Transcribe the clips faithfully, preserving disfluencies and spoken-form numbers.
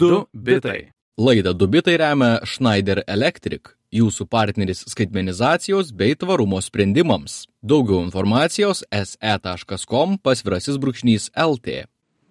Du bitai. Laidą Du bitai remia Schneider Electric, jūsų partneris skaitmenizacijos bei tvarumo sprendimams. Daugiau informacijos es e taškas kom pasvirasis brūkšnys lt.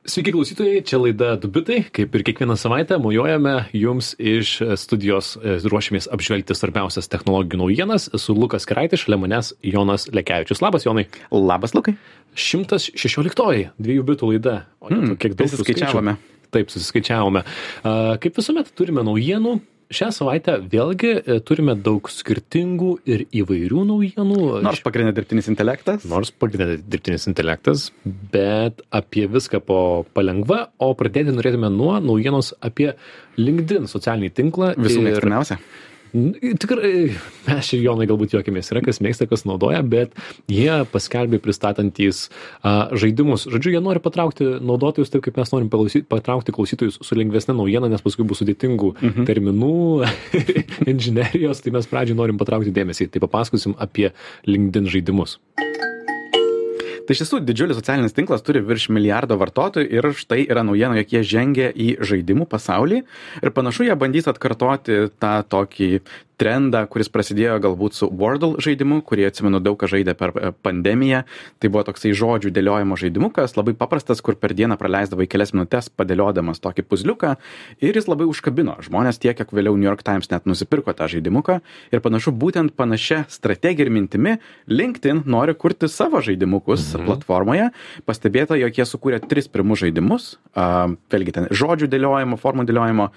Sveiki klausytojai, čia laida Du bitai. Kaip ir kiekvieną savaitę mojuojame jums iš studijos, ruošiamės apžvelgti svarbiausias technologijų naujienas. Su Lukas Keraitis, šalia manęs Jonas Lekevičius. Labas, Jonai. Labas, Lukai. šimtas šešioliktoji dviejų bitų laida. O ne, Hmm, kiek daug susiskaičiavome. Taip, susiskaičiavome. Uh, kaip visuomet turime naujienų. Šią savaitę vėlgi e, turime daug skirtingų ir įvairių naujienų. Nors pagrindė dirbtinis intelektas. Nors pagrindė dirbtinis intelektas, bet apie viską po palengva, o pradėti norėtume nuo naujienos apie LinkedIn socialinį tinklą. Visų mėgstamiausia. Tikrai, mes ir Jonai galbūt juokimės, yra kas mėgsta, kas naudoja, bet jie paskelbė pristatantys a, žaidimus. Žodžiu, jie nori patraukti naudotojus taip, kaip mes norim palausy, patraukti klausytojus su lengvesnė naujiena, nes paskui bus sudėtingų mhm. terminų, inžinerijos, tai mes pradžiai norim patraukti dėmesį. Tai papasakosim apie LinkedIn žaidimus. Tai iš tiesų didžiulis socialinis tinklas turi virš milijardo vartotojų ir štai yra naujiena, jog jie žengia į žaidimų pasaulį ir panašu jie bandys atkartoti tą tokį trendą, kuris prasidėjo galbūt su Wordle žaidimu, kurį atsimenu daug ką žaidė per pandemiją. Tai buvo toksai žodžių dėliojimo žaidimukas, labai paprastas, kur per dieną praleisdavai kelias minutės padėliodamas tokį puzliuką ir jis labai užkabino žmonės tiek, kiek vėliau New York Times net nusipirko tą žaidimuką ir panašu būtent panašia strategija ir mintimi LinkedIn nori kurti savo žaidimukus mhm. platformoje. Pastebėta, jog jie sukūrė tris pirmus žaidimus, uh, vėlgi ten žodžių dėliojimo, formų dėliojimo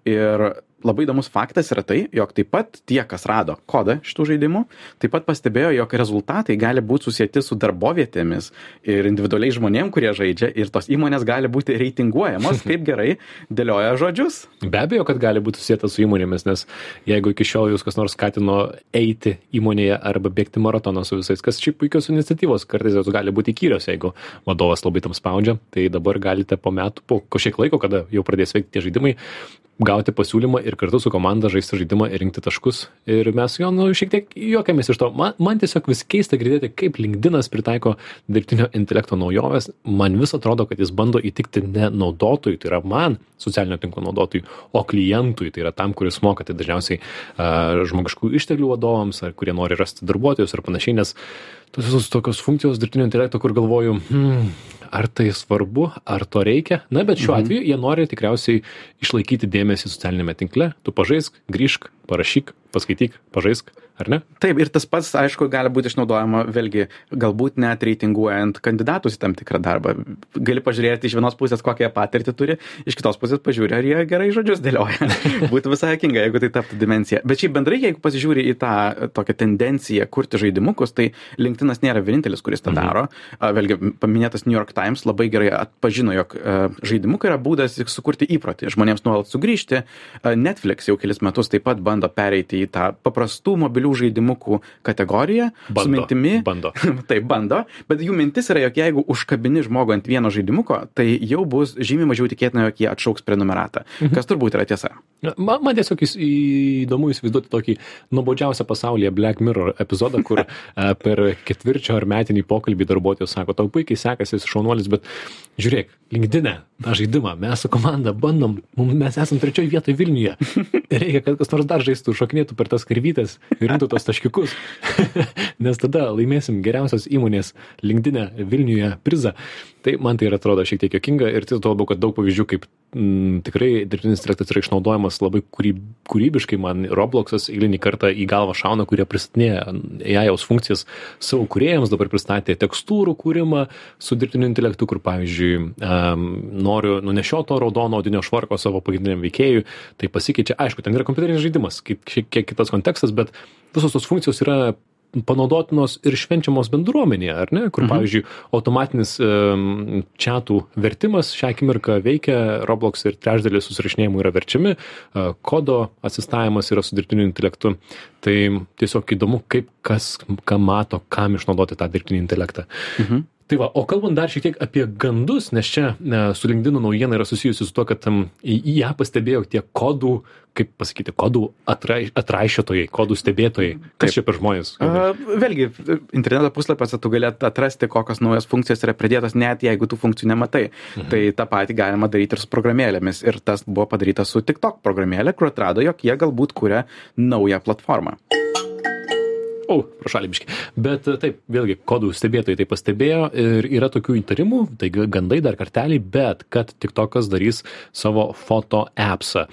ir labai įdomus faktas yra tai, jog taip pat tie, kas rado kodą šitų žaidimų, taip pat pastebėjo, jog rezultatai gali būti susieti su darbovietėmis ir individualiai žmonėm, kurie žaidžia ir tos įmonės gali būti reitinguojamos, kaip gerai dėlioja žodžius. Be abejo, kad gali būti susietas su įmonėmis, nes jeigu iki šiol jūs kas nors skatino eiti įmonėje arba bėgti maratoną su visais, kas šiaip puikios iniciatyvos, kartais jos gali būti įkyrios, jeigu vadovas labai tam spaudžia, tai dabar galite po metų, po kažkiek laiko, kada jau pradės veikti tie žaidimai, gauti pasiūlymą ir kartu su komanda žaisti žaidimą ir rinkti taškus. Ir mes jo, nu, šiek tiek juokiamės iš to. Man, man tiesiog vis keista girdėti, kaip LinkedInas pritaiko dirbtinio intelekto naujoves. Man vis atrodo, kad jis bando įtikti ne naudotojui, tai yra man, socialinio tinklo naudotojui, o klientui, tai yra tam, kuris moka, tai dažniausiai uh, žmogiškų išteklių vadovams, ar kurie nori rasti darbuotojus ir panašiai, nes tos visos tokios funkcijos dirbtinio intelekto, kur galvoju, hmm, ar tai svarbu, ar to reikia. Na, bet šiuo mhm. atveju jie nori tikriausiai išlaikyti dėmesį socialinėme tinkle. Tu pažaisk, grįžk, parašyk, paskaityk, pažaisk, ar ne? Taip, ir tas pats, aišku, gali būti išnaudojama vėlgi, galbūt net reitinguojant kandidatus į tam tikrą darbą. Gali pažiūrėti iš vienos pusės, kokią patirtį turi, iš kitos pusės pažiūrė, ar jie gerai žodžius dėlioja. Būtų visai juokinga, jeigu tai taptų dimensija. Bet šiaip bendrai, jeigu pasižiūri į tą tokią tendenciją kurti žaidimukus, tai LinkedIn'as nėra vienintelis, kuris tą daro. Mhm. Vėlgi, paminėtas New York Times labai gerai atpažino, jog žaidimukai yra būdas sukurti įprotį, žmonėms nuolat sugrįžti. Netflix jau kelis metus taip pat bando pereiti į tą paprastų mobilių žaidimukų kategoriją. Bando, su mintimi, bando. Taip, bando, bet jų mintis yra, jog jeigu užkabini žmogų ant vieno žaidimuko, tai jau bus žymiai mažiau tikėtina, jog jie atšauks prenumeratą, mhm. kas turbūt yra tiesa. Man, man tiesiog įdomu įsivaizduoti tokį nuobodžiausią pasaulyje Black Mirror epizodą, kur per ketvirčio ar metinį pokalbį darbuotojas sako, tau puikiai sekasi, esi šaunuolis, bet žiūrėk, LinkedIn'e tą žaidimą, mes su komanda bandom, mes esam trečioj vietoj Vilniuje. Reikia, kad kas nors dar žaistų, šokinėtų per tas karvytes ir rinktų tos taškiukus, nes tada laimėsim geriausios įmonės LinkedIn'e Vilniuje prizą. Tai man tai ir atrodo šiek tiek juokinga ir tai labiau, kad daug pavyzdžių, kaip m, tikrai dirbtinis intelektas yra išnaudojamas labai kūryb, kūrybiškai. Man Robloxas eilinį kartą į galvą šauna, kurie pristatinėja A I funkcijas savo kūrėjams, dabar pristatė tekstūrų kūrimą su dirbtiniu intelektu, kur pavyzdžiui um, noriu nunešioto raudono odinio švarko savo pagrindiniam veikėjui, tai pasikeičia. Aišku, ten yra kompiuterinis žaidimas, kaip šiek tiek kitas kontekstas, bet visos tos funkcijos yra panaudotinos ir švenčiamos bendruomenėje, ar ne? Kur, mhm. pavyzdžiui, automatinis um, chatų vertimas šią akimirką veikia, Roblox ir trečdalis susirašinėjimų yra verčiami, uh, kodo asistavimas yra su dirbtiniu intelektu. Tai tiesiog įdomu, kaip kas, ką mato, kam išnaudoti tą dirbtinį intelektą. Mhm. Tai va, o kalbant dar šiek tiek apie gandus, nes čia ne, su LinkedIn naujiena yra susijusi su tuo, kad um, į, į ją pastebėjo tie kodų, kaip pasakyti, kodų atrai, atraišiotojai, kodų stebėtojai. Kas čia per žmonės? Uh, vėlgi, interneto puslapiuose tu galėt atrasti, kokios naujos funkcijos yra pridėtos, net jeigu tų funkcijų nematai. Mhm. Tai tą patį galima daryti ir su programėlėmis. Ir tas buvo padaryta su TikTok programėlė, kur atrado, jog jie galbūt kuria naują platformą. O, prašalį biškį. Bet taip, vėlgi, kodų stebėtojai tai pastebėjo ir yra tokių įtarimų, tai gandai dar kartelį, bet kad TikTokas darys savo foto appsą,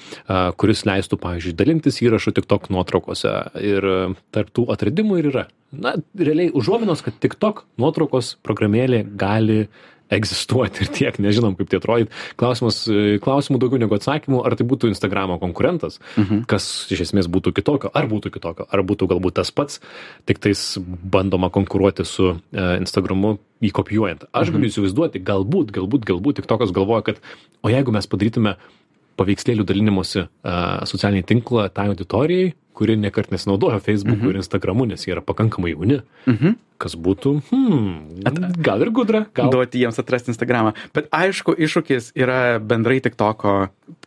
kuris leistų, pavyzdžiui, dalintis įrašų TikTok nuotraukose. Ir tarp tų atradimų ir yra. Na, realiai užuominos, kad TikTok nuotraukos programėlė gali egzistuoti ir tiek, nežinom, kaip tai atrodyt. Klausimas, klausimų daugiau negu atsakymų, ar tai būtų Instagramo konkurentas, mhm. kas iš esmės būtų kitokio, ar būtų kitokio, ar būtų galbūt tas pats, tik tais bandoma konkuruoti su uh, Instagramu jį kopijuojant. Aš mhm. galiu įsivaizduoti, galbūt, galbūt, galbūt TikTokas galvoja, kad o jeigu mes padarytume paveikslėlių dalinimosi uh, socialinį tinklą tai auditorijai, kuri nekart nesinaudojo Facebook'u mhm. ir Instagramu, nes jie yra pakankamai jauni. Mhm. Kas būtų, hmm, gal ir gudra. Gal. Duoti jiems atrasti Instagramą. Bet aišku, iššūkis yra bendrai TikToko,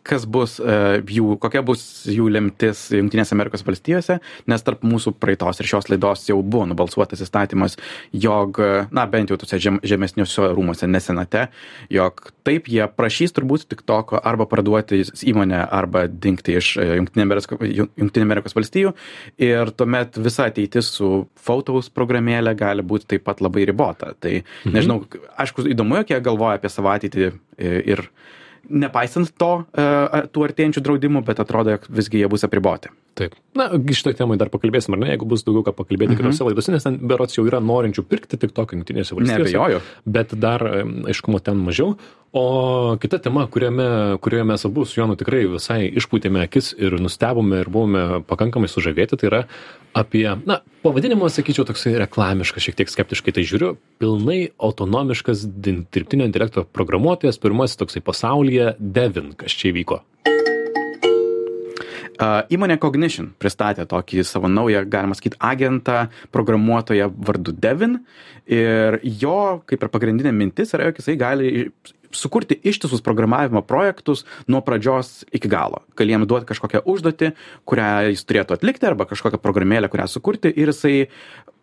kas bus uh, jų, kokia bus jų lemtis Jungtinėse Amerikos valstijose, nes tarp mūsų praeitos ir šios laidos jau buvo nubalsuotas įstatymas, jog, na, bent jau tuose žem, žemesniuose rūmuose, ne senate, jog taip jie prašys turbūt TikToko arba parduoti įmonę, arba dingti iš Jungtinė Amerikos, Jungtinė Amerikos valstijų ir tuomet visa ateitis su Photos programėlė gali būti taip pat labai ribota. Tai mhm. nežinau, aišku, įdomu, jog jie galvoja apie savo ateitį ir nepaisant to, tų artėjančių draudimų, bet atrodo, jog visgi jie bus apriboti. Taip. Na, šitoj temai dar pakalbėsim, ar ne, jeigu bus daugiau ką pakalbėti mhm. kitose laidose, nes ten berods jau yra norinčių pirkti TikTok Jungtinėse valstijose. Neabejoju. Bet dar aiškumo ten mažiau. O kita tema, kuriame, kurioje mes abu su Jonu tikrai visai išpūtėme akis ir nustebome ir buvome pakankamai sužavėti, tai yra apie, na, pavadinimas, sakyčiau, toksai reklamiškas, šiek tiek skeptiškai tai žiūriu, pilnai autonomiškas dirbtinio intelekto programuotojas, pirmasis toksai pasaulyje, Devin, kas čia įvyko. Uh, įmonė Cognition pristatė tokį savo naują, galima sakyti, agentą programuotoją vardu Devin ir jo, kaip ir pagrindinė mintis, yra, jog jisai gali sukurti ištisus programavimo projektus nuo pradžios iki galo. Gali jam duoti kažkokią užduotį, kurią jis turėtų atlikti, arba kažkokią programėlę, kurią sukurti ir jisai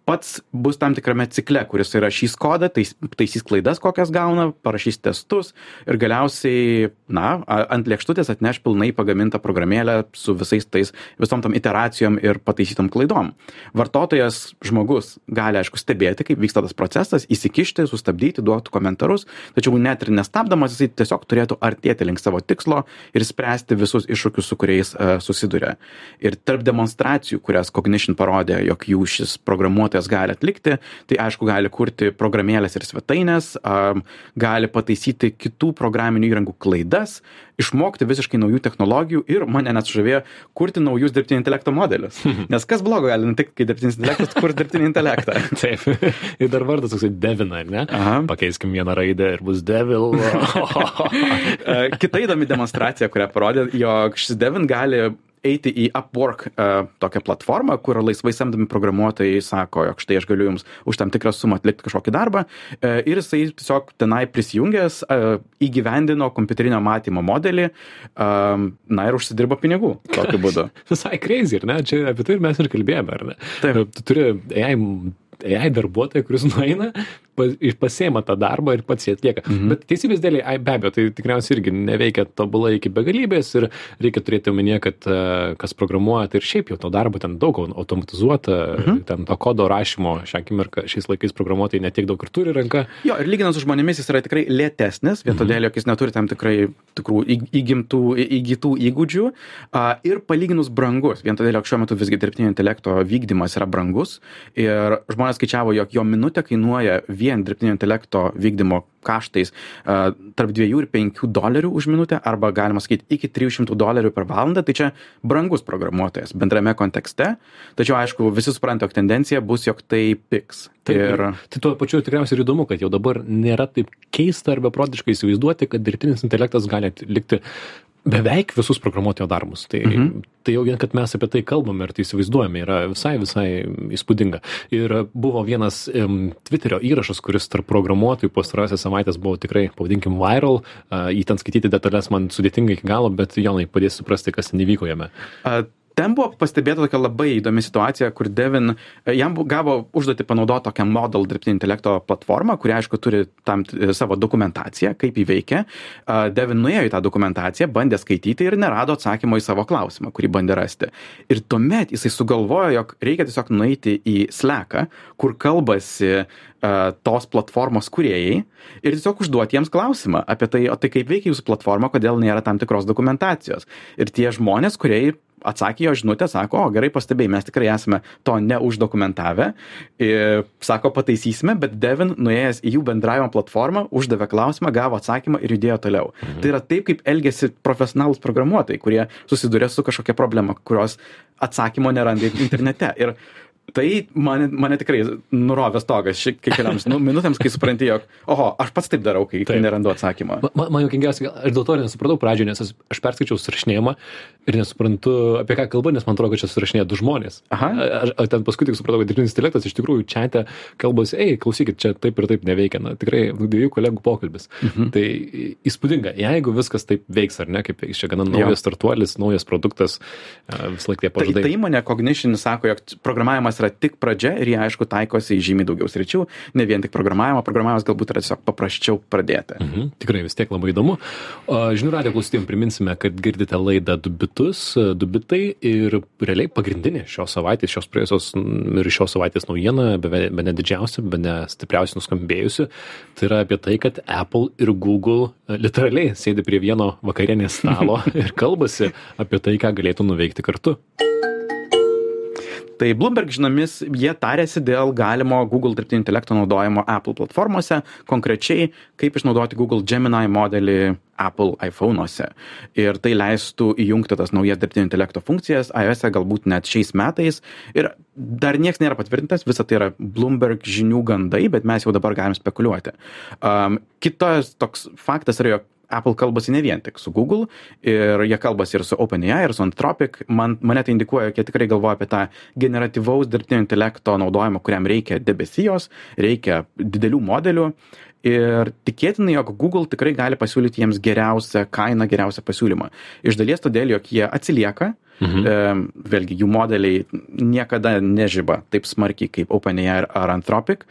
pats bus tam tikrame cikle, kuris rašys kodą, tais, taisys klaidas, kokias gauna, parašys testus ir galiausiai, na, ant lėkštutės atneš pilnai pagamintą programėlę su visais tais, visom tam iteracijom ir pataisytom klaidom. Vartotojas, žmogus, gali, aišku, stebėti, kaip vyksta tas procesas, įsikišti, sustabdyti, duoti komentarus, tačiau net ir nestabdamas, jisai tiesiog turėtų artėti link savo tikslo ir spręsti visus iššūkius, su kuriais uh, susiduria. Ir tarp demonstracijų, kurias Cognition parodė, jog jų šis programuotojas gali atlikti, tai aišku gali kurti programėlės ir svetainės, um, gali pataisyti kitų programinių įrangų klaidas, išmokti visiškai naujų technologijų ir mane net sužavėjo kurti naujus dirbtinio intelekto modelius. Nes kas blogo gali nutikti, kai dirbtinis intelektas kurs dirbtinį intelektą? Taip. Ir dar vardas toksai Devin, ar ne? Aha. Pakeiskim vieną raidę ir bus Devil. Kita įdomi demonstracija, kurią parodė, jog šis Devin gali eiti į Upwork uh, tokią platformą, kur laisvai samdomi programuotojai sako, jog štai aš galiu jums už tam tikrą sumą atlikti kažkokį darbą uh, ir jisai tiesiog tenai prisijungęs uh, įgyvendino kompiuterinio matymo modelį, uh, na ir užsidirbo pinigų tokiu būdu. Visai crazy, ar ne? Čia apie tai ir mes ir kalbėjome, ar ne? Taip. Tu turi A I A I darbuotoją, kuris nueina, pasiima tą darbą ir pats jį atlieka. Mhm. Bet teisybės dėlei, be abejo, tai tikriausiai irgi neveikia tobulai iki begalybės ir reikia turėti omenyje, kad kas programuoja, tai ir šiaip jau to darbo ten daug automatizuota, mhm. ten to kodo rašymo šią akimirką, šiais laikais programuotojai netiek daug ir turi ranka. Jo, ir lyginant su žmonėmis jis yra tikrai lėtesnis, vien todėl, jog jis neturi tam tikrai tikrų įgimtų, įgytų įgūdžių ir palyginus brangus, vien todėl, jog šiuo metu visgi dirbtinio intelekto vykdymas yra brangus ir žmonės skaičiavo, jog jo minutė kainuoja vien dirbtinio intelekto vykdymo kaštais uh, tarp dviejų ir penkių dolerių už minutę, arba galima sakyti iki trijų šimtų dolerių per valandą, tai čia brangus programuotojas bendrame kontekste, tačiau aišku, visi supranta, jog tendencija bus, jog tai pigs. Taip, ir... Tai tuo pačiu tikriausiai ir įdomu, kad jau dabar nėra taip keista arba beprotiškai įsivaizduoti, kad dirbtinis intelektas gali atlikti beveik visus programuotojo darbus. Tai, mhm. tai jau vien, kad mes apie tai kalbame ir tai įsivaizduojame, yra visai, visai įspūdinga. Ir buvo vienas um, Twitterio įrašas, kuris tarp programuotojų pastarąsias savaitės buvo tikrai, pavadinkim, viral. Uh, jį ten skaityti detalės man sudėtinga iki galo, bet Jonai padės suprasti, kas ten įvyko jame. Uh. Ten buvo pastebėta tokia labai įdomi situacija, kur Devin, jam gavo užduoti panaudoti tokią model dirbtinio intelekto platformą, kuri, aišku, turi tam savo dokumentaciją, kaip įveikia. Devin nuėjo į tą dokumentaciją, bandė skaityti ir nerado atsakymo į savo klausimą, kurį bandė rasti. Ir tuomet jisai sugalvojo, jog reikia tiesiog nueiti į Slacką, kur kalbasi uh, tos platformos kūrėjai ir tiesiog užduoti jiems klausimą apie tai, o tai kaip veikia jūsų platforma, kodėl nėra tam tikros dokumentacijos. Ir tie žmonės, kurie atsakė jo žinutę, sako, o gerai pastebėjai, mes tikrai esame to neuždokumentavę, ir, sako, pataisysime, bet Devin, nuėjęs į jų bendravimo platformą, uždavė klausimą, gavo atsakymą ir judėjo toliau. Mhm. Tai yra taip, kaip elgiasi profesionalūs programuotojai, kurie susiduria su kažkokia problema, kurios atsakymo neranda internete. Ir tai mane, mane tikrai nurovė stogas kai keliams nu, minutėms, kai supranti, jog, oho, aš pats taip darau, kai, kai nerandu atsakymą. Man, man juokingiausia, aš dėl to nesupratau pradžioje, nes aš perskaičiau surašinėjimą ir nesuprantu, apie ką kalba, nes man atrodo, kad čia surašinėja du žmonės. Aha. Aš, aš ten paskui tik supratau, kad dirbtinis intelektas iš tikrųjų čiate kalbasi, ei, klausykit, čia taip ir taip neveikia. Na, tikrai dviejų kolegų pokalbis. Mhm. Tai įspūdinga, jeigu viskas taip veiks, ar ne, kaip veiks, čia gana naujas startuolis, naujas produktas, vis laik tie pažadai. Tai, tai įmonė Cognition sako, jog programavimas yra tik pradžia ir jie, aišku, taikosi į žymiai daugiau sričių, ne vien tik programavimo, programavimas galbūt yra tiesiog paprasčiau pradėti. Mhm, tikrai vis tiek labai įdomu. Žinių radijo klausytėjams priminsime, kad girdite laidą Du bitus, Du bitai ir realiai pagrindinė šios savaitės, šios praėjusios ir šios savaitės naujiena, bene didžiausia, bene stipriausiai nuskambėjusi, tai yra apie tai, kad Apple ir Google literaliai sėdi prie vieno vakarienės stalo ir kalbasi apie tai, ką galėtų nuveikti kartu. Tai Bloomberg žinomis, jie tarėsi dėl galimo Google dirbtinio intelekto naudojimo Apple platformose, konkrečiai kaip išnaudoti Google Gemini modelį Apple iPhone'uose. Ir tai leistų įjungti tas naujas dirbtinio intelekto funkcijas, iOS'e galbūt net šiais metais. Ir dar nieks nėra patvirtintas, visa tai yra Bloomberg žinių gandai, bet mes jau dabar galim spekuliuoti. Um, kitas toks faktas yra, jog Apple kalbasi ne vien tik su Google ir jie kalbasi ir su OpenAI ir su Anthropic. Man, mane tai indikuoja, kad jie tikrai galvoja apie tą generatyvaus dirbtinio intelekto naudojimą, kuriam reikia debesijos, reikia didelių modelių. Ir tikėtina, jog Google tikrai gali pasiūlyti jiems geriausią kainą, geriausią pasiūlymą. Iš dalies todėl, jog jie atsilieka, mhm. e, vėlgi jų modeliai niekada nežiba taip smarkiai kaip OpenAI ar Anthropic.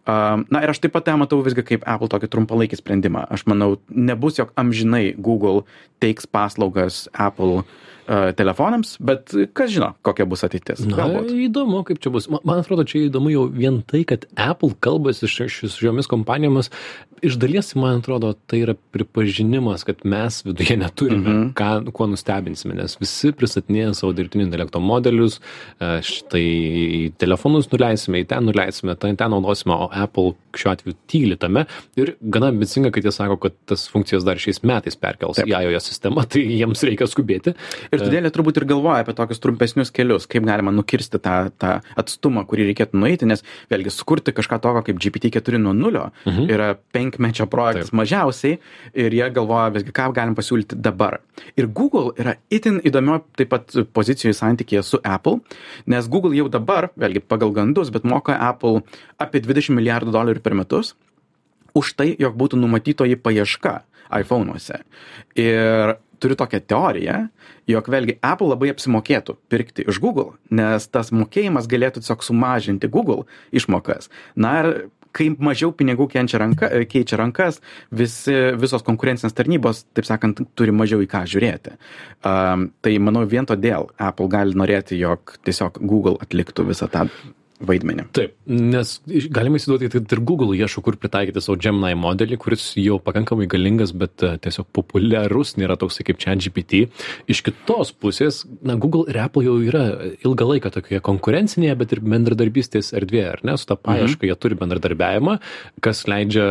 Na ir aš taip pat matau visgi kaip Apple tokį trumpalaikį sprendimą. Aš manau, nebus, jog amžinai Google teiks paslaugas Apple uh, telefonams, bet kas žino, kokia bus ateitis. Na, galbūt. Įdomu, kaip čia bus. Man, man atrodo, čia įdomu jau vien tai, kad Apple kalbasi su šiomis kompanijomis. Iš dalies, man atrodo, tai yra pripažinimas, kad mes viduje neturime, mm-hmm. ką, kuo nustebinsime, nes visi pristatinėja savo dirbtinio intelekto modelius, štai telefonus nuleisime, į ten nuleisime, ten, ten naudosime, o Apple šiuo atveju tyli tame ir gana ambicinga, kad jie sako, kad tas funkcijas dar šiais metais perkels Taip. Į iOS sistemą, tai jiems reikia skubėti. Ir todėl jie turbūt ir galvoja apie tokius trumpesnius kelius, kaip galima nukirsti tą, tą atstumą, kurį reikėtų nueiti, nes vėlgi sukurti kažką tokio kaip G P T keturi nuo nulio mhm. yra penkmečio projektas Taip. Mažiausiai ir jie galvoja visgi, ką galim pasiūlyti dabar. Ir Google yra itin įdomio taip pat pozicijoje santykėje su Apple, nes Google jau dabar, vėlgi pagal gandus, bet moka Apple apie dvidešimt milijardų dolerių per metus už tai, jog būtų numatytoji paieška iPhone'uose. Ir turiu tokią teoriją, jog vėlgi Apple labai apsimokėtų pirkti iš Google, nes tas mokėjimas galėtų tiesiog sumažinti Google išmokas. Na ir kai mažiau pinigų kenčia ranka, keičia rankas, visi, visos konkurencinės tarnybos, taip sakant, turi mažiau į ką žiūrėti. Um, tai manau, vien todėl Apple gali norėti, jog tiesiog Google atliktų visą tą vaidmenį. Taip, nes galima įsiduoti, kad ir Google ieško, kur pritaikyti savo Gemini modelį, kuris jau pakankamai galingas, bet tiesiog populiarus, nėra toksai kaip ChatGPT. Iš kitos pusės, na, Google ir Apple jau yra ilgą laiką tokioje konkurencinėje, bet ir bendradarbystės erdvėje, ar ne? Su tą paiešką mhm. jie turi bendradarbiavimą, kas leidžia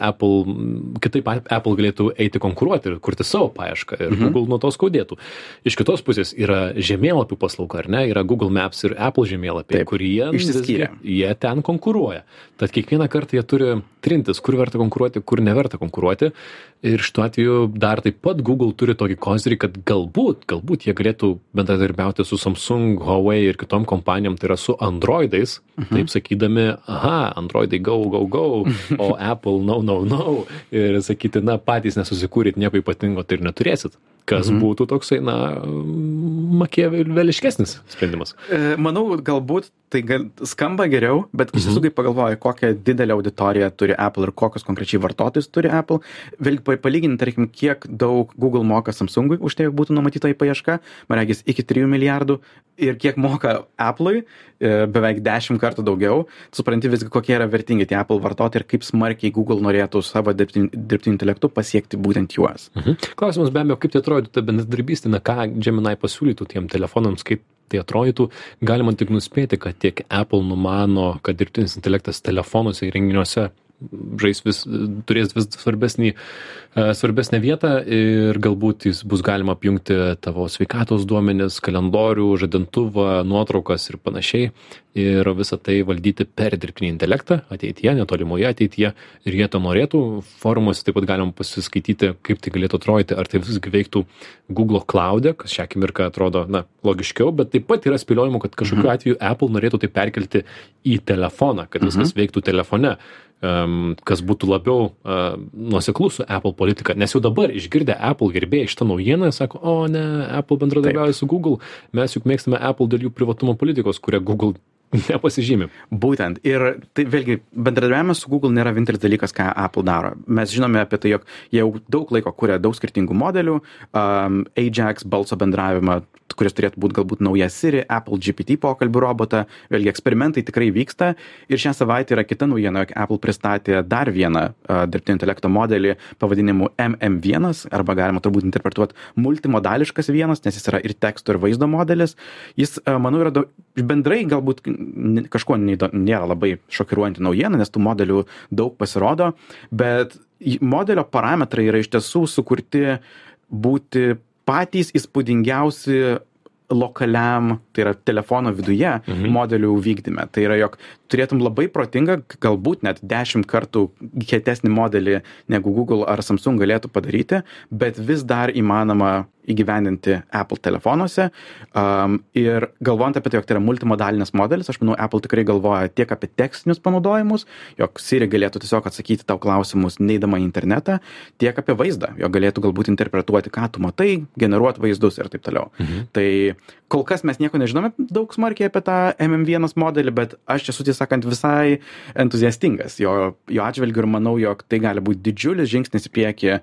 Apple, kitaip Apple galėtų eiti konkuruoti ir kurti savo paiešką ir mhm. Google nuo to skaudėtų. Iš kitos pusės yra žemėlapių paslauga, ar ne? Yra Google Maps ir Apple žemėlapiai, kurie išsiskyrė. Jie ten konkuruoja. Tad kiekvieną kartą jie turi trintis, kur verta konkuruoti, kur neverta konkuruoti. Ir šituo atveju dar taip pat Google turi tokį kozirį, kad galbūt, galbūt jie galėtų bendradarbiauti su Samsung, Huawei ir kitom kompanijom, tai yra su Androidais, mhm. taip sakydami, aha, Androidai go, go, go, o Apple no, no, no. Ir sakyti, na, patys nesusikūrėt nieko ypatingo, tai ir neturėsit. Kas mhm. būtų toksai, na, makiaveliškesnis sprendimas. E, manau, galbūt tai gal, skamba geriau, bet iš tiesų, mhm. kai pagalvoju, kokią didelę auditoriją turi Apple ir kokios konkrečiai vartotojus turi Apple, vėlgi palyginti, tarkim, kiek daug Google moka Samsungui už tai, jog būtų numatyta į paiešką, man regis iki trijų milijardų, ir kiek moka Apple'ui, beveik dešimt kartų daugiau, supranti visgi, kokie yra vertingi tie Apple vartotojai ir kaip smarkiai Google norėtų savo dirbtiniu, dirbtiniu intelektu pasiekti būtent juos. Mhm. Klausimas be abejo, kaip tai atrodytų ta bendradarbystė, na ką Gemini pasiūlytų tiem telefonams, kaip tai atrodytų, galima tik nuspėti, kad tiek Apple numano, kad dirbtinis intelektas telefonuose ir renginiuose žais vis, turės vis svarbesnį, svarbesnę vietą ir galbūt jis bus galima apjungti tavo sveikatos duomenis, kalendorių, žadintuvą, nuotraukas ir panašiai ir visą tai valdyti per dirbtinį intelektą ateityje, netolimoje ateityje ir jie to norėtų. Forumuose taip pat galima pasiskaityti, kaip tai galėtų atrodyti, ar tai visgi veiktų Google Cloud'e, kas šią akimirką atrodo, na, logiškiau, bet taip pat yra spėliojimų, kad kažkokiu mhm. atveju Apple norėtų tai perkelti į telefoną, kad viskas mhm. veiktų telefone. Um, kas būtų labiau uh, nuoseklus su Apple politika, nes jau dabar išgirdę Apple gerbėjai šitą naujieną, sako, o ne, Apple bendradarbiauja su Google, mes juk mėgstame Apple dėl jų privatumo politikos, kurią Google nepasižymi. Būtent. Ir tai vėlgi, bendradarbiavimas su Google nėra vienintelis dalykas, ką Apple daro. Mes žinome apie tai, jog jie jau daug laiko kuria daug skirtingų modelių, um, Ajax, balso bendravimą, kuris turėtų būti galbūt nauja Siri, Apple G P T pokalbių robotą. Vėlgi, eksperimentai tikrai vyksta. Ir šią savaitę yra kita naujiena, jog Apple pristatė dar vieną uh, dirbtinio intelekto modelį pavadinimu M M vienas, arba galima turbūt interpretuoti multimodališkas vienas, nes jis yra ir teksto, ir vaizdo modelis. Jis, uh, manau, yra daug, bendrai galbūt kažkuo nėra labai šokiruojanti naujiena, nes tų modelių daug pasirodo, bet modelio parametrai yra iš tiesų sukurti būti patys įspūdingiausi lokaliam, tai yra telefono viduje, mhm. modelių vykdyme. Tai yra, jog turėtum labai protingą, galbūt net dešimt kartų kietesnį modelį, negu Google ar Samsung galėtų padaryti, bet vis dar įmanoma įgyvendinti Apple telefonuose. Um, ir galvojant apie tai, jog tai yra multimodalinis modelis, aš manau, Apple tikrai galvoja tiek apie tekstinius panaudojimus, jog Siri galėtų tiesiog atsakyti tau klausimus neidama į internetą, tiek apie vaizdą, jog galėtų galbūt interpretuoti, ką tu matai, generuoti vaizdus ir taip toliau. Mhm. Tai kol kas mes nieko nežinome daug smarkiai apie tą M M vienas modelį, bet aš esu tiesą sakant visai entuziastingas jo, jo atžvilgiu ir manau, jog tai gali būti didžiulis žingsnis į priekį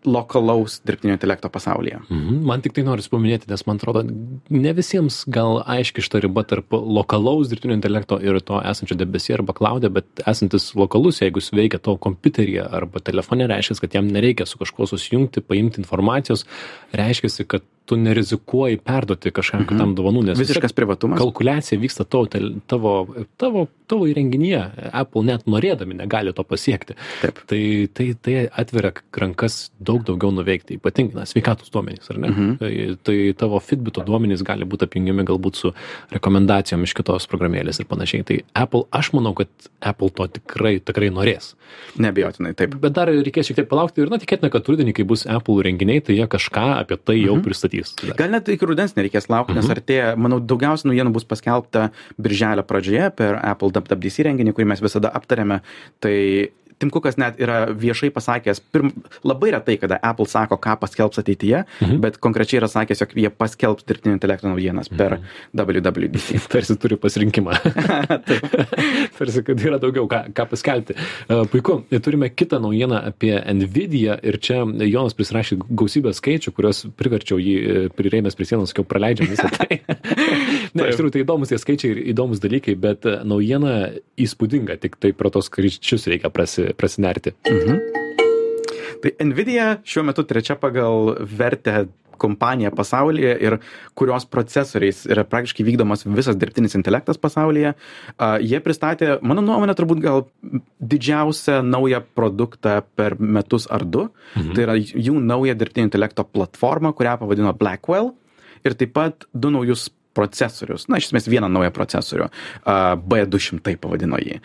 lokalaus dirbtinio intelekto pasaulyje. Mhm. Man tik tai noriu paminėti, nes man atrodo, ne visiems gal aiški šita riba tarp lokalaus dirbtinio intelekto ir to esančio debesyje arba cloud'e, bet esantis lokalus, jeigu jis veikia to kompiuteryje arba telefone, reiškia, kad jam nereikia su kažkuo susijungti, paimti informacijos, reiškia, kad tu nerizikuoji perduoti kažkam mhm. kitam dovanų, nes visiškas privatumas. Kalkuliacija vyksta tavo, tavo, tavo, tavo įrenginyje. Apple net norėdami negali to pasiekti. Taip. Tai, tai, tai atveria rankas daug daugiau nuveikti, ypatingai na, sveikatos duomenys, ar ne? Mhm. Tai, tai tavo Fitbito duomenys gali būti apjungiami galbūt su rekomendacijom iš kitos programėlės ir panašiai. Tai Apple, aš manau, kad Apple to tikrai, tikrai norės. Neabejotinai, taip. Bet dar reikės šiek tiek palaukti ir na, tikėtina, kad rudenį, kai bus Apple renginiai, tai jie kažką apie tai jau mhm. pristatys. Gal net iki rudens nereikės laukti, nes artėja, manau, daugiausia naujienų bus paskelbta birželio pradžioje per Apple W W D C renginį, kurį mes visada aptarėme. Tai Tim Cookas net yra viešai pasakęs, pirm, labai retai, kada Apple sako, ką paskelbs ateityje, mhm. bet konkrečiai yra sakęs, jog jie paskelbs dirbtinio intelekto naujienas per mhm. W W D C. Tarsi turi pasirinkimą. Tarsi, kad yra daugiau ką, ką paskelbti. Uh, puiku, turime kitą naujieną apie Nvidia ir čia Jonas prisirašė gausybę skaičių, kurios priverčiau jį prirėmęs prie sienos, sakiau, praleidžiam visą tai. Ne, iš tikrųjų, tai įdomus tie skaičiai ir įdomus dalykai, bet naujiena įspūdinga, tik tai pro tos skaičius reikia prasi prasinerti. Mhm. Tai Nvidia šiuo metu trečia pagal vertę kompanija pasaulyje ir kurios procesoriais yra praktiškai vykdomas visas dirbtinis intelektas pasaulyje. Uh, jie pristatė, mano nuomonė, turbūt gal didžiausią naują produktą per metus ar du. Mhm. Tai yra jų nauja dirbtinio intelekto platforma, kurią pavadino Blackwell. Ir taip pat du naujus procesorius, na, iš esmės vieną naują procesorių, B du šimtai pavadino jį.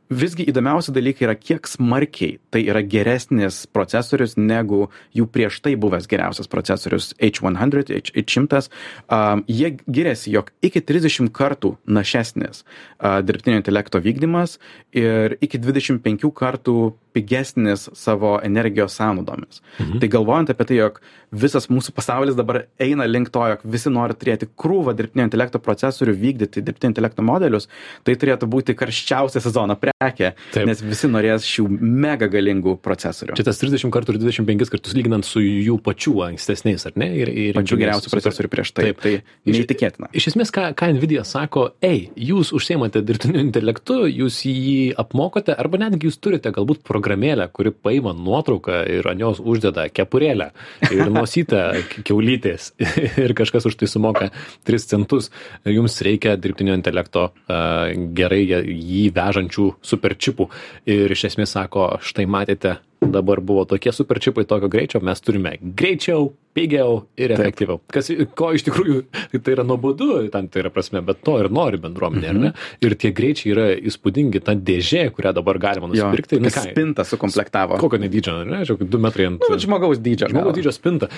Visgi įdomiausi dalykai yra, kiek smarkiai tai yra geresnis procesorius negu jų prieš tai buvęs geriausias procesorius H šimtas, H šimtas. Um, jie giriasi, jog iki trisdešimt kartų našesnis uh, dirbtinio intelekto vykdymas ir iki dvidešimt penkių kartų pigesnis savo energijos sąnaudomis. Mhm. Tai galvojant apie tai, jog visas mūsų pasaulis dabar eina link to, jog visi nori turėti krūvą dirbtinio intelekto procesorių, vykdyti dirbtinio intelekto modelius, tai turėtų būti karščiausia sezono prekė, Taip. nes visi norės šių mega galingų procesorių. Čia tas trisdešimt kartų ir dvidešimt penkis kartus lyginant su jų pačių ankstesniais, ar ne? Ir, ir pačių geriausių procesorių prieš tai. Taip. Tai neįtikėtina. Iš, iš esmės, ką, ką Nvidia sako, ei, jūs užsiimate dirbtiniu intelektu, jūs jį apmokote, arba netgi jūs turite galbūt programėlę, kuri paima nuotrauką ir ant jos uždeda kepurėlę ir nosytę kiaulytės ir kažkas už tai sumoka tris centus. Jums reikia dirbtinio intelekto uh, gerai jį vežančių superčipų. Ir iš esmės sako, štai matėte, dabar buvo tokie superčipai tokio greičio, mes turime greičiau, pigiau ir efektyviau. Kas, ko iš tikrųjų, tai yra nuobodu, tam tai yra prasme, bet to ir nori bendruomenė, mm-hmm. ar ne? Ir tie greičiai yra įspūdingi, ta dėžė, kurią dabar galima nusipirkti. Jo, spintą sukomplektavo. Kokio nedydžio, ne? Žiūrėk, du metrai ant... Nu, žmogaus dydžio. Žmogaus dydžio spinta.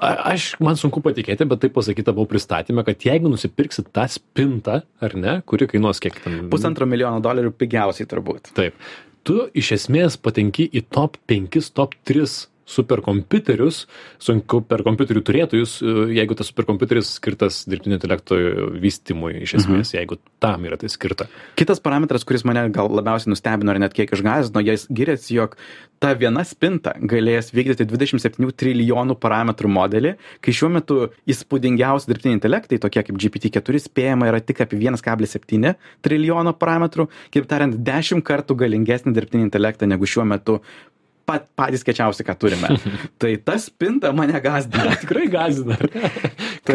A, aš, man sunku patikėti, bet tai pasakyta buvo pristatymė, kad jeigu nusipirksit tą spintą, ar ne, kuri kainuos kiek ten... Pusantro milijono dolerių pigiausiai turbūt. Taip. Tu iš esmės patenki į top penkis, top tris superkompiuterius, superkompiuterių turėtojus, jeigu tas superkompiuteris skirtas dirbtinio intelekto vystymui, iš esmės, mhm. jeigu tam yra tai skirta. Kitas parametras, kuris mane gal labiausiai nustebino ir net kiek išgąsdino, jis giriasi, jog ta viena spinta galės vykdyti dvidešimt septynių trilijonų parametrų modelį, kai šiuo metu įspūdingiausi dirbtiniai intelektai, tokie kaip G P T keturi, spėjama yra tik apie vienas kablelis septyni trilijono parametrų, kaip tariant, dešimt kartų galingesnį dirbtinį intelektą negu šiuo metu pat, patys kečiausi, ką turime. Tai ta spinta mane gąsdina. Tikrai gąsdina.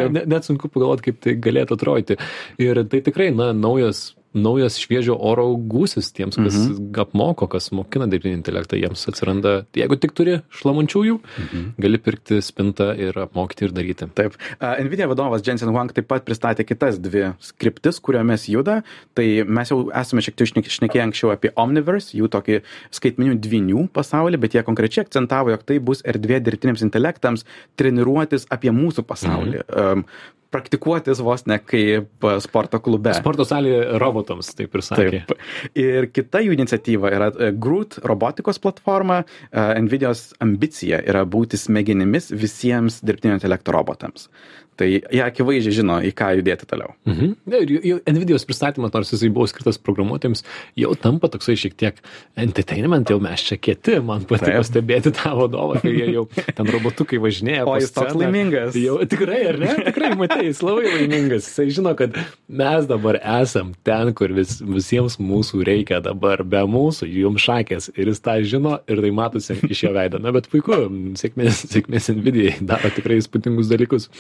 net, net sunku pagalvoti, kaip tai galėtų atrodyti. Ir tai tikrai, na, naujas, naujas šviežio oro gūsis tiems, kas mhm. apmoko, kas mokina dirbtinį intelektą, jiems atsiranda, jeigu tik turi šlamančiųjų, mhm. gali pirkti spintą ir apmokyti ir daryti. Taip. Uh, Nvidia vadovas Jensen Huang taip pat pristatė kitas dvi skriptis, kuriomis juda. Tai mes jau esame šiek tiek šnekėję anksčiau apie Omniverse, jų tokį skaitmeninių dvynių pasaulį, bet jie konkrečiai akcentavo, jog tai bus erdvė dirbtiniams intelektams treniruotis apie mūsų pasaulį. Mhm. Um, praktikuotis vos ne kaip sporto klube. Sporto salėje robotams, taip ir sakė. Taip. Ir kita jų iniciatyva yra Groot robotikos platforma. Nvidios ambicija yra būti smegenimis visiems dirbtinio intelekto robotams. Tai jie akivaizdžiai žino, į ką judėti toliau. Mhm. Ir jau Nvidios pristatymas, nors jisai buvo skirtas programuotojams, jau tampa toksai šiek tiek entertainment, jau mes čia kieti, man patiko stebėti tą vadovą, kai jie jau ten robotukai važinėja. O jis toks laimingas. Jau, tikrai, ar ne? Tikrai, matai, jis labai laimingas. Jisai žino, kad mes dabar esam ten, kur vis, visiems mūsų reikia dabar, be mūsų, jums šakės. Ir jis tą žino ir tai matosi iš jo veido. Na, bet puiku, sėkmės, sėkmės Nvidijai daro tikrai įspūdingus dalykus.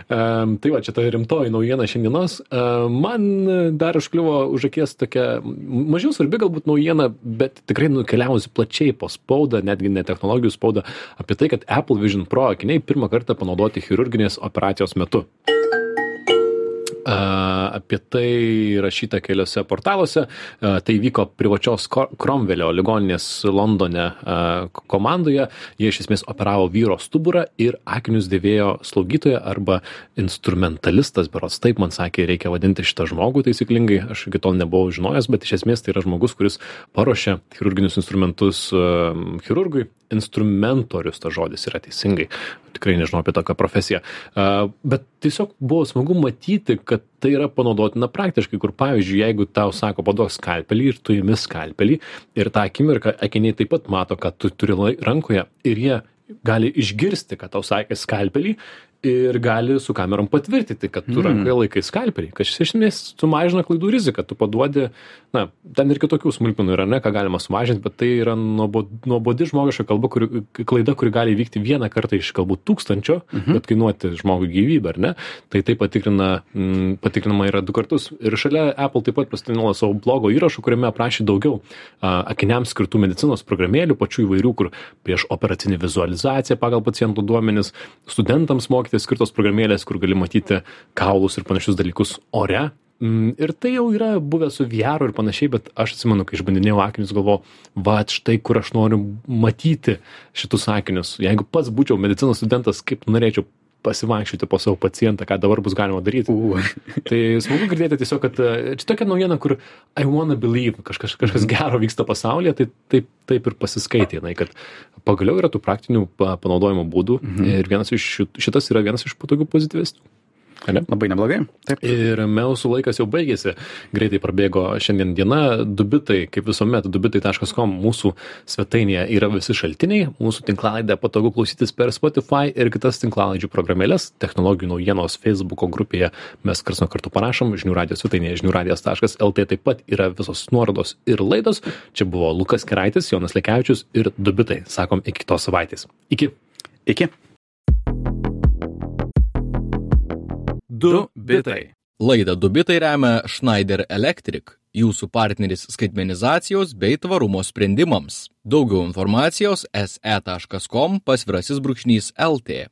Um, tai va, čia ta rimtoji naujiena šiandienos. Um, man dar užkliuvo už akies tokia mažiau svarbi galbūt naujiena, bet tikrai nukeliavusi plačiai po spaudą, netgi ne technologijų spaudą, apie tai, kad Apple Vision Pro akiniai pirmą kartą panaudoti chirurginės operacijos metu. Uh, apie tai rašyta keliose portaluose. Uh, tai vyko privačios Cromwellio ligoninės Londone uh, komandoje. Jie iš esmės operavo vyro stuburą ir akinius dėvėjo slaugytoja arba instrumentalistas, berods taip man sakė, reikia vadinti šitą žmogų taisyklingai. Aš iki tol nebuvau žinojęs, bet iš esmės tai yra žmogus, kuris paruošia chirurginius instrumentus uh, chirurgui. Instrumentorius tas žodis yra teisingai. Tikrai nežinau apie tokią profesiją. Uh, bet tiesiog buvo smagu matyti, kad tai yra panaudotina praktiškai, kur pavyzdžiui, jeigu tau sako, paduok skalpelį ir tu imi skalpelį ir tą akimirką akiniai taip pat mato, kad tu turi rankoje ir jie gali išgirsti, kad tau sakė skalpelį ir gali su kamerom patvirtinti, kad tu mm. rankoje laikai skalpelį, kad iš esmės sumažina klaidų riziką, tu paduodi, na, ten ir kitokių smulkmenų yra, ne, ką galima sumažinti, bet tai yra nuobodi žmogiška kalba, kuri, klaida, kuri gali vykti vieną kartą iš galbūt tūkstančio, mm-hmm. bet kainuoti žmogui gyvybę, ar ne? Tai tai patikrina, m, patikrinama yra du kartus. Ir šalia Apple taip pat pasidalino savo blogo įrašų, kuriame aprašė daugiau a, akiniams skirtų medicinos programėlių, pačių įvairių, kur prieš operacinį vizualizaciją pagal pacientų duomenis, studentams mokė mokyti skirtos programėlės, kur gali matyti kaulus ir panašius dalykus ore. Ir tai jau yra buvę su V R ir panašiai, bet aš atsimenu, kai išbandinėjau akinius, galvojau, va, štai kur aš noriu matyti šitus akinius. Jeigu pats būčiau medicinos studentas, kaip norėčiau pasivaikščioti po savo pacientą, ką dabar bus galima daryti. Uh. Tai smagu girdėti tiesiog, kad čia tokia naujiena, kur I wanna believe, kažkas, kažkas gero vyksta pasaulyje, tai taip, taip ir pasiskaitė, kad pagaliau yra tų praktinių panaudojimo būdų mhm. ir vienas iš šitas yra vienas iš patogių pozityvesnių. Ne? Labai neblogai. Taip. Ir mūsų laikas jau baigėsi. Greitai prabėgo šiandien diena. Dubitai, kaip visuomet, dubitai taškas com mūsų svetainėje yra visi šaltiniai. Mūsų tinklalaidę patogu klausytis per Spotify ir kitas tinklalaidžių programėlės. Technologijų naujienos Facebooko grupėje mes karts nuo karto parašom. Žinių radijos svetainėje žinių radijas taškas el tė taip pat yra visos nuorodos ir laidos. Čia buvo Lukas Keraitis, Jonas Lekevičius ir Dubitai. Sakom, iki kitos savaitės. Iki. Iki. Du bitai. Laidą Du bitai remia Schneider Electric, jūsų partneris skaitmenizacijos bei tvarumo sprendimams. Daugiau informacijos es e taškas com pasvirasis brūkšnys el tė.